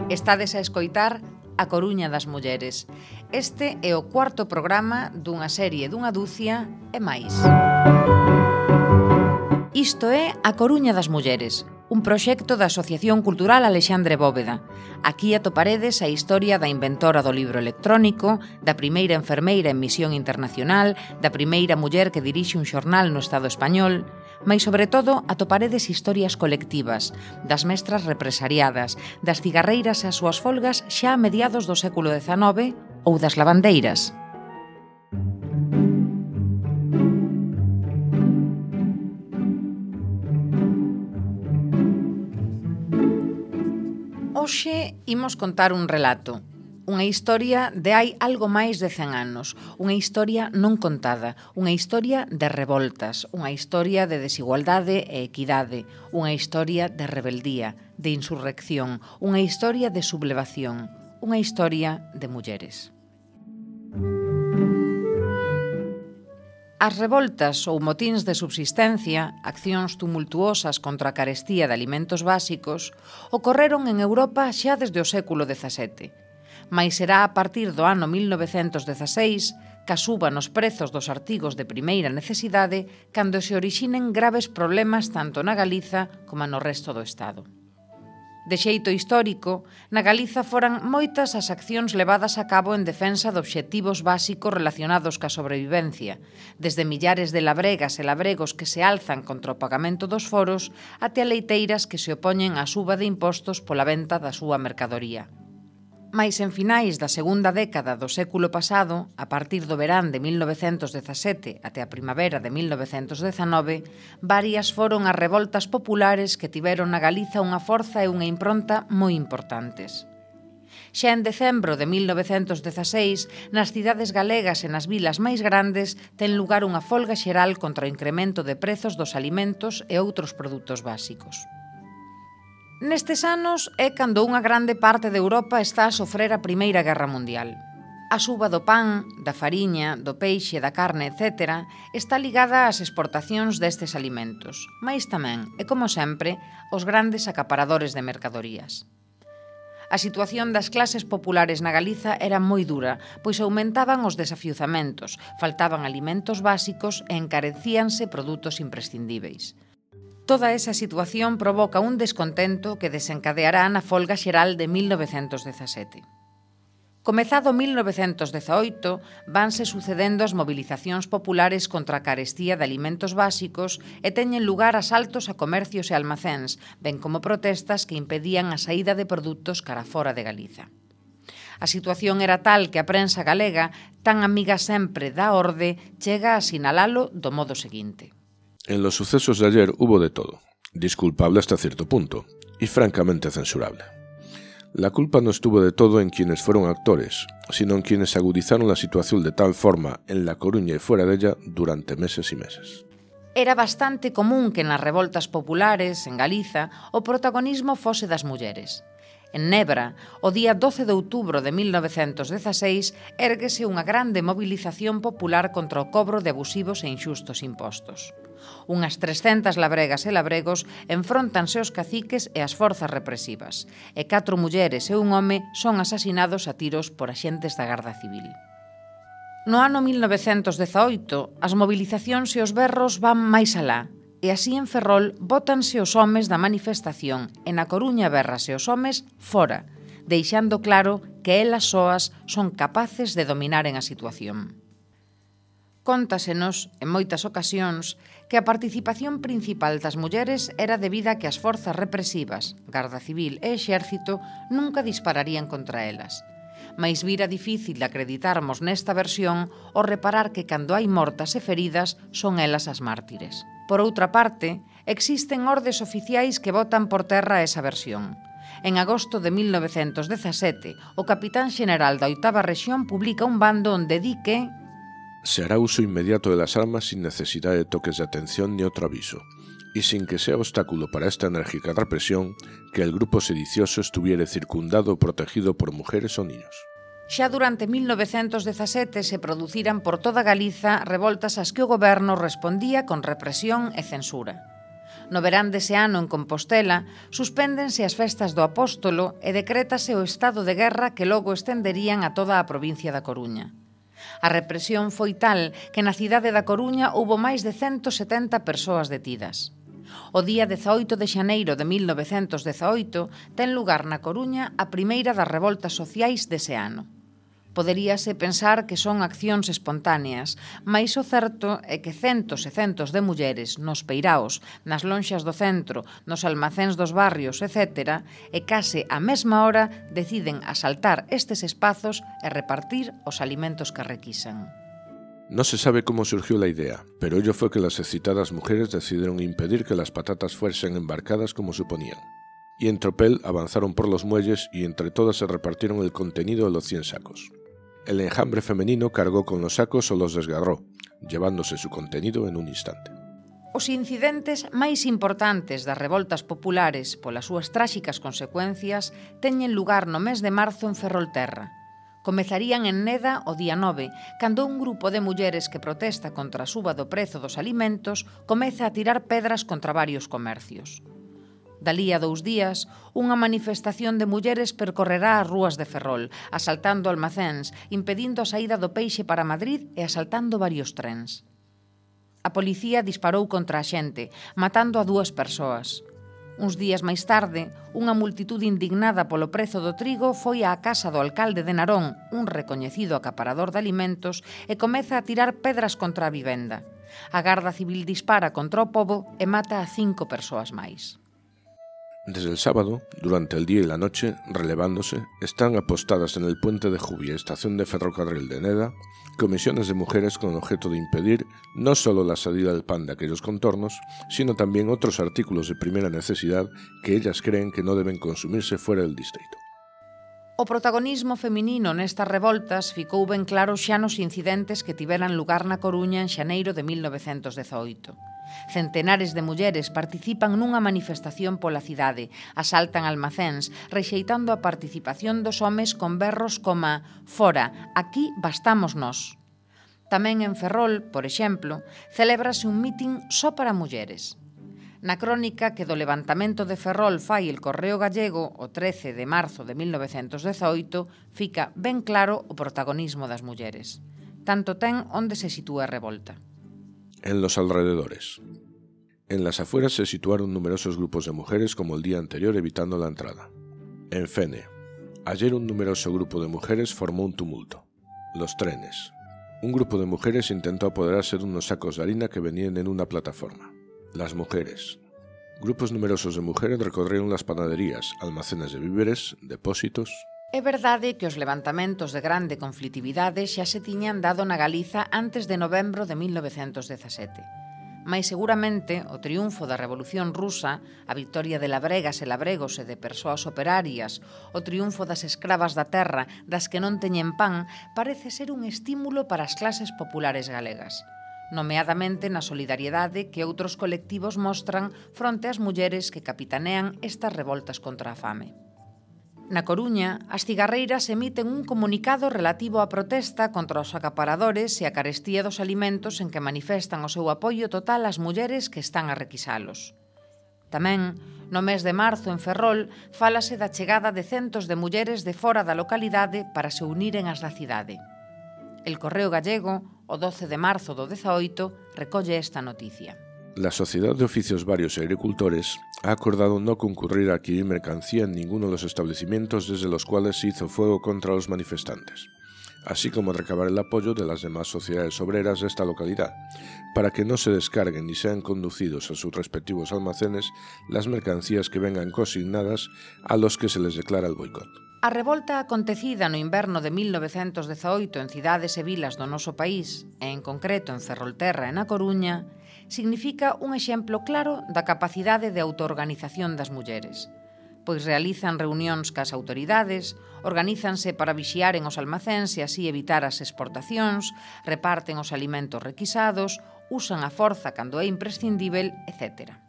Estades a escoitar A Coruña das Mulleres. Este é o cuarto programa dunha serie dunha dúcia e máis. Isto é A Coruña das Mulleres, un proxecto da Asociación Cultural Alexandre Bóveda. Aquí atoparedes a historia da inventora do libro electrónico, da primeira enfermeira en misión internacional, da primeira muller que dirixe un xornal no Estado español, mais sobre todo atoparedes historias colectivas, das mestras represariadas, das cigarreiras e as súas folgas xa a mediados do século XIX ou das lavandeiras. Hoxe imos contar un relato, unha historia de hai algo máis de 100 anos, unha historia non contada, unha historia de revoltas, unha historia de desigualdade e equidade, unha historia de rebeldía, de insurrección, unha historia de sublevación, unha historia de mulleres. As revoltas ou motíns de subsistencia, accións tumultuosas contra a carestía de alimentos básicos, ocorreron en Europa xa desde o século XVII. Mais será a partir do ano 1916, ca suba nos prezos dos artigos de primeira necesidade, cando se orixinen graves problemas tanto na Galiza como no resto do Estado. De xeito histórico, na Galiza foran moitas as accións levadas a cabo en defensa de obxectivos básicos relacionados ca sobrevivencia, desde millares de labregas e labregos que se alzan contra o pagamento dos foros até a leiteiras que se opoñen á suba de impostos pola venta da súa mercadoría. Mais en finais da segunda década do século pasado, a partir do verán de 1917 até a primavera de 1919, varias foron as revoltas populares que tiveron na Galiza unha forza e unha impronta moi importantes. Xa en decembro de 1916, nas cidades galegas e nas vilas máis grandes, ten lugar unha folga xeral contra o incremento de prezos dos alimentos e outros produtos básicos. Nestes anos é cando unha grande parte de Europa está a sofrer a Primeira Guerra Mundial. A suba do pan, da fariña, do peixe, da carne, etc., está ligada ás exportacións destes alimentos, mais tamén, e como sempre, os grandes acaparadores de mercadorías. A situación das clases populares na Galiza era moi dura, pois aumentaban os desafiuzamentos, faltaban alimentos básicos e encarecíanse produtos imprescindíveis. Toda esa situación provoca un descontento que desencadeará na folga xeral de 1917. Comezado 1918, vanse sucedendo as movilizacións populares contra a carestía de alimentos básicos e teñen lugar asaltos a comercios e almacéns, ben como protestas que impedían a saída de produtos cara fora de Galiza. A situación era tal que a prensa galega, tan amiga sempre da orde, chega a sinalalo do modo seguinte. En los sucesos de ayer hubo de todo, disculpable hasta cierto punto, y francamente censurable. La culpa no estuvo de todo en quienes fueron actores, sino en quienes agudizaron la situación de tal forma en La Coruña y fuera de ella durante meses y meses. Era bastante común que nas revoltas populares, en Galiza, o protagonismo fose das mulleres. En Nebra, o día 12 de outubro de 1916, érguese unha grande movilización popular contra o cobro de abusivos e inxustos impostos. Unhas 300 labregas e labregos enfróntanse aos caciques e as forzas represivas, e 4 mulleres e un home son asasinados a tiros por axentes da Garda Civil. No ano 1918, as movilizacións e os berros van máis alá, e así en Ferrol bótanse os homes da manifestación e na Coruña berrase os homes fora, deixando claro que elas soas son capaces de dominaren a situación. Cóntasenos, en moitas ocasións, que a participación principal das mulleres era debida a que as forzas represivas, Garda Civil e Exército, nunca dispararían contra elas. Mais vira difícil de acreditarmos nesta versión ao reparar que cando hai mortas e feridas son elas as mártires. Por outra parte, existen ordes oficiais que botan por terra esa versión. En agosto de 1917, o capitán xeneral da 8ª Rexión publica un bando onde di que se hará uso inmediato de las armas sin necesidad de toques de atención ni otro aviso, y sin que sea obstáculo para esta enérgica represión que el grupo sedicioso estuviere circundado o protegido por mujeres o niños. Xa durante 1917 se produciran por toda Galiza revoltas ás que o goberno respondía con represión e censura. No verán dese ano en Compostela, suspéndense as festas do Apóstolo e decrétase o estado de guerra que logo estenderían a toda a provincia da Coruña. A represión foi tal que na cidade da Coruña houbo máis de 170 persoas detidas. O día 18 de xaneiro de 1918 ten lugar na Coruña a primeira das revoltas sociais dese ano. Poderíase pensar que son accións espontáneas, mais o certo é que centos e centos de mulleres nos peiraos, nas lonxas do centro, nos almacéns dos barrios, etc., e case á mesma hora deciden asaltar estes espazos e repartir os alimentos que requisan. No se sabe cómo surgió la idea, pero ello fue que las excitadas mujeres decidieron impedir que las patatas fuesen embarcadas como suponían. Y en tropel avanzaron por los muelles y entre todas se repartieron el contenido de los 100 sacos. El enjambre femenino cargó con los sacos o los desgarró, llevándose su contenido en un instante. Os incidentes máis importantes das revoltas populares polas súas tráxicas consecuencias teñen lugar no mes de marzo en Ferrolterra. Comezarían en Neda o día 9, cando un grupo de mulleres que protesta contra a suba do prezo dos alimentos comeza a tirar pedras contra varios comercios. Dalí a 2 días, unha manifestación de mulleres percorrerá as rúas de Ferrol, asaltando almacéns, impedindo a saída do peixe para Madrid e asaltando varios trens. A policía disparou contra a xente, matando a 2 persoas. Uns días máis tarde, unha multitude indignada polo prezo do trigo foi á casa do alcalde de Narón, un recoñecido acaparador de alimentos, e comeza a tirar pedras contra a vivenda. A Garda Civil dispara contra o pobo e mata a 5 persoas máis. Desde el sábado, durante el día y la noche, relevándose, están apostadas en el puente de Jubia, estación de ferrocarril de Neda, comisiones de mujeres con objeto de impedir no solo la salida del pan de aquellos contornos, sino también otros artículos de primera necesidad que ellas creen que no deben consumirse fuera del distrito. O protagonismo feminino nestas revoltas ficou ben claro xa nos incidentes que tiveran lugar na Coruña en xaneiro de 1918. Centenares de mulleres participan nunha manifestación pola cidade, asaltan almacéns, rexeitando a participación dos homes con berros como «Fora, aquí bastamos nós». Tamén en Ferrol, por exemplo, celébrase un mitin só para mulleres. Na crónica que do levantamento de Ferrol fai el Correo Gallego o 13 de marzo de 1918 fica ben claro o protagonismo das mulleres. Tanto ten onde se sitúa a revolta. En los alrededores. En las afueras se situaron numerosos grupos de mujeres como el día anterior evitando la entrada. En Fene. Ayer un numeroso grupo de mujeres formó un tumulto. Los trenes. Un grupo de mujeres intentó apoderarse de unos sacos de harina que venían en una plataforma. Las mujeres. Grupos numerosos de mujeres recorrieron las panaderías, almacenes de víveres, depósitos. É verdade que os levantamentos de grande conflitividade xa se tiñan dado na Galiza antes de novembro de 1917. Mais seguramente o triunfo da Revolución Rusa, a victoria de labregas e labregos e de persoas operarias, o triunfo das escravas da terra das que non teñen pan, parece ser un estímulo para as clases populares galegas, nomeadamente na solidariedade que outros colectivos mostran fronte ás mulleres que capitanean estas revoltas contra a fame. Na Coruña, as cigarreiras emiten un comunicado relativo á protesta contra os acaparadores e a carestía dos alimentos en que manifestan o seu apoio total ás mulleres que están a requisalos. Tamén, no mes de marzo en Ferrol, fálase da chegada de centos de mulleres de fora da localidade para se uniren ás da cidade. El Correo Gallego, o 12 de marzo do 18, recolle esta noticia. La Sociedad de Oficios Varios y Agricultores ha acordado no concurrir a adquirir mercancía en ninguno de los establecimientos desde los cuales se hizo fuego contra los manifestantes, así como recabar el apoyo de las demás sociedades obreras de esta localidad, para que no se descarguen ni sean conducidos a sus respectivos almacenes las mercancías que vengan consignadas a los que se les declara el boicot. A revolta acontecida no inverno de 1918 en cidades e vilas do noso país, e en concreto en Ferrolterra e na Coruña, significa un exemplo claro da capacidade de autoorganización das mulleres, pois realizan reunións cas autoridades, organízanse para vixiaren os almacéns e así evitar as exportacións, reparten os alimentos requisados, usan a forza cando é imprescindível, etc.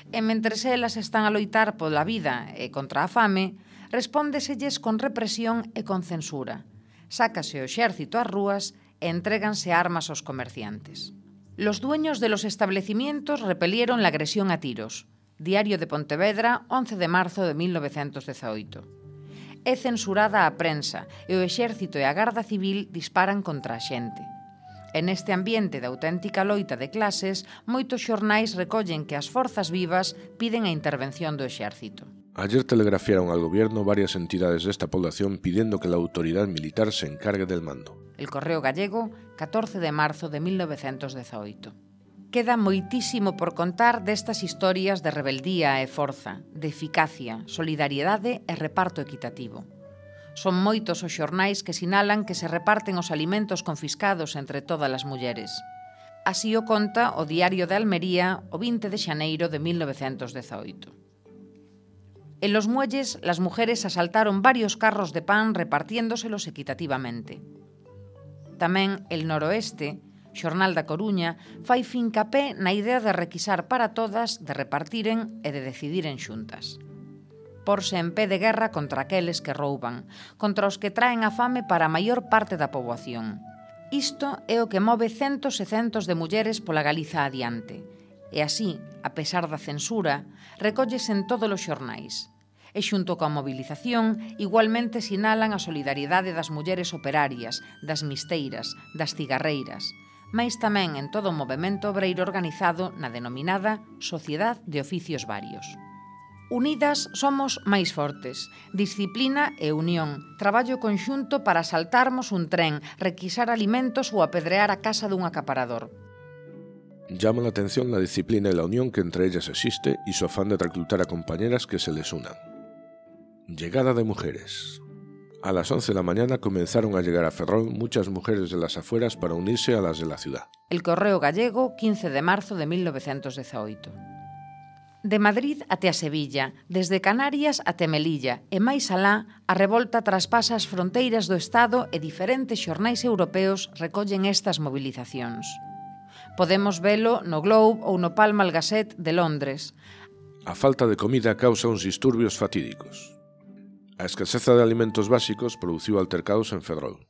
E mentres elas están a loitar pola vida e contra a fame, respóndeselles con represión e con censura. Sácase o exército ás rúas e entréganse armas aos comerciantes. Los dueños de los establecimientos repelieron la agresión a tiros. Diario de Pontevedra, 11 de marzo de 1918. É censurada a prensa e o exército e a Garda Civil disparan contra a xente. En este ambiente de auténtica loita de clases, moitos xornais recollen que as forzas vivas piden a intervención do exército. Ayer telegrafiaron al gobierno varias entidades de esta población pidiendo que la autoridad militar se encargue del mando. El Correo Gallego, 14 de marzo de 1918. Queda moitísimo por contar destas historias de rebeldía e forza, de eficacia, solidariedade e reparto equitativo. Son moitos os xornais que sinalan que se reparten os alimentos confiscados entre todas as mulleres. Así o conta o Diario de Almería o 20 de xaneiro de 1918. En los muelles, las mujeres asaltaron varios carros de pan repartiéndoselos equitativamente. Tamén El Noroeste, Xornal da Coruña, fai fincapé na idea de requisar para todas, de repartiren e de decidiren xuntas. Porse en pé de guerra contra aqueles que rouban, contra os que traen a fame para a maior parte da poboación. Isto é o que move centos e centos de mulleres pola Galiza adiante. E así, a pesar da censura, recollese en todos os xornais. E xunto coa mobilización, igualmente sinalan a solidariedade das mulleres operarias, das misteiras, das cigarreiras, mais tamén en todo o movemento obreiro organizado na denominada Sociedade de Oficios Varios. Unidas somos máis fortes. Disciplina e unión. Traballo conxunto para asaltarmos un tren, requisar alimentos ou apedrear a casa dun acaparador. Llama la atención la disciplina y la unión que entre ellas existe y su afán de reclutar a compañeras que se les unan. Llegada de mujeres. A las 11 de la mañana comenzaron a llegar a Ferrol muchas mujeres de las afueras para unirse a las de la ciudad. El Correo Gallego, 15 de marzo de 1918. De Madrid até a Sevilla, desde Canarias até Melilla e máis alá, a revolta traspasa as fronteiras do Estado e diferentes xornais europeos recollen estas movilizacións. Podemos velo no Globe ou no Pall Gazette de Londres. A falta de comida causa uns disturbios fatídicos. A escaseza de alimentos básicos produciu altercados en Ferrol.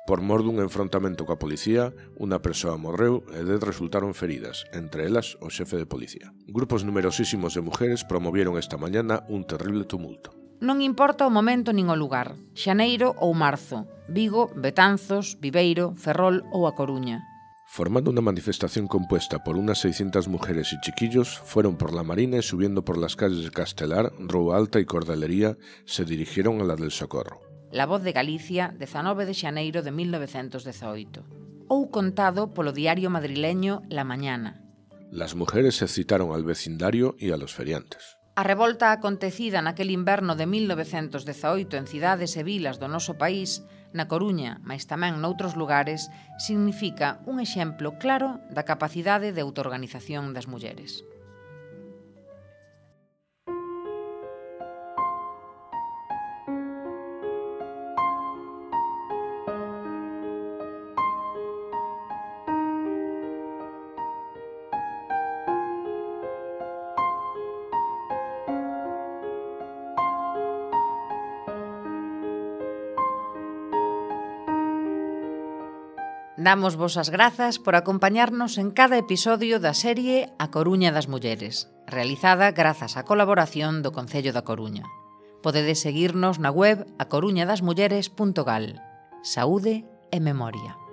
Por mor dun enfrontamento coa policía, unha persoa morreu e 10 resultaron feridas, entre elas o xefe de policía. Grupos numerosísimos de mujeres promovieron esta mañana un terrible tumulto. Non importa o momento nin o lugar, xaneiro ou marzo, Vigo, Betanzos, Viveiro, Ferrol ou A Coruña. Formando una manifestación compuesta por unas 600 mujeres y chiquillos, fueron por la Marina y subiendo por las calles de Castelar, Rúa Alta y Cordelería, se dirigieron a la del Socorro. La Voz de Galicia, 19 de xaneiro de 1918. Ou contado polo diario madrileño La Mañana. Las mujeres se citaron al vecindario y a los feriantes. A revolta acontecida naquel inverno de 1918 en cidades e vilas do noso país, na Coruña, mais tamén noutros lugares, significa un exemplo claro da capacidade de autoorganización das mulleres. Damos vos as grazas por acompañarnos en cada episodio da serie A Coruña das Mulleres, realizada grazas á colaboración do Concello da Coruña. Podedes seguirnos na web acoruñadasmulleres.gal. Saúde e memoria.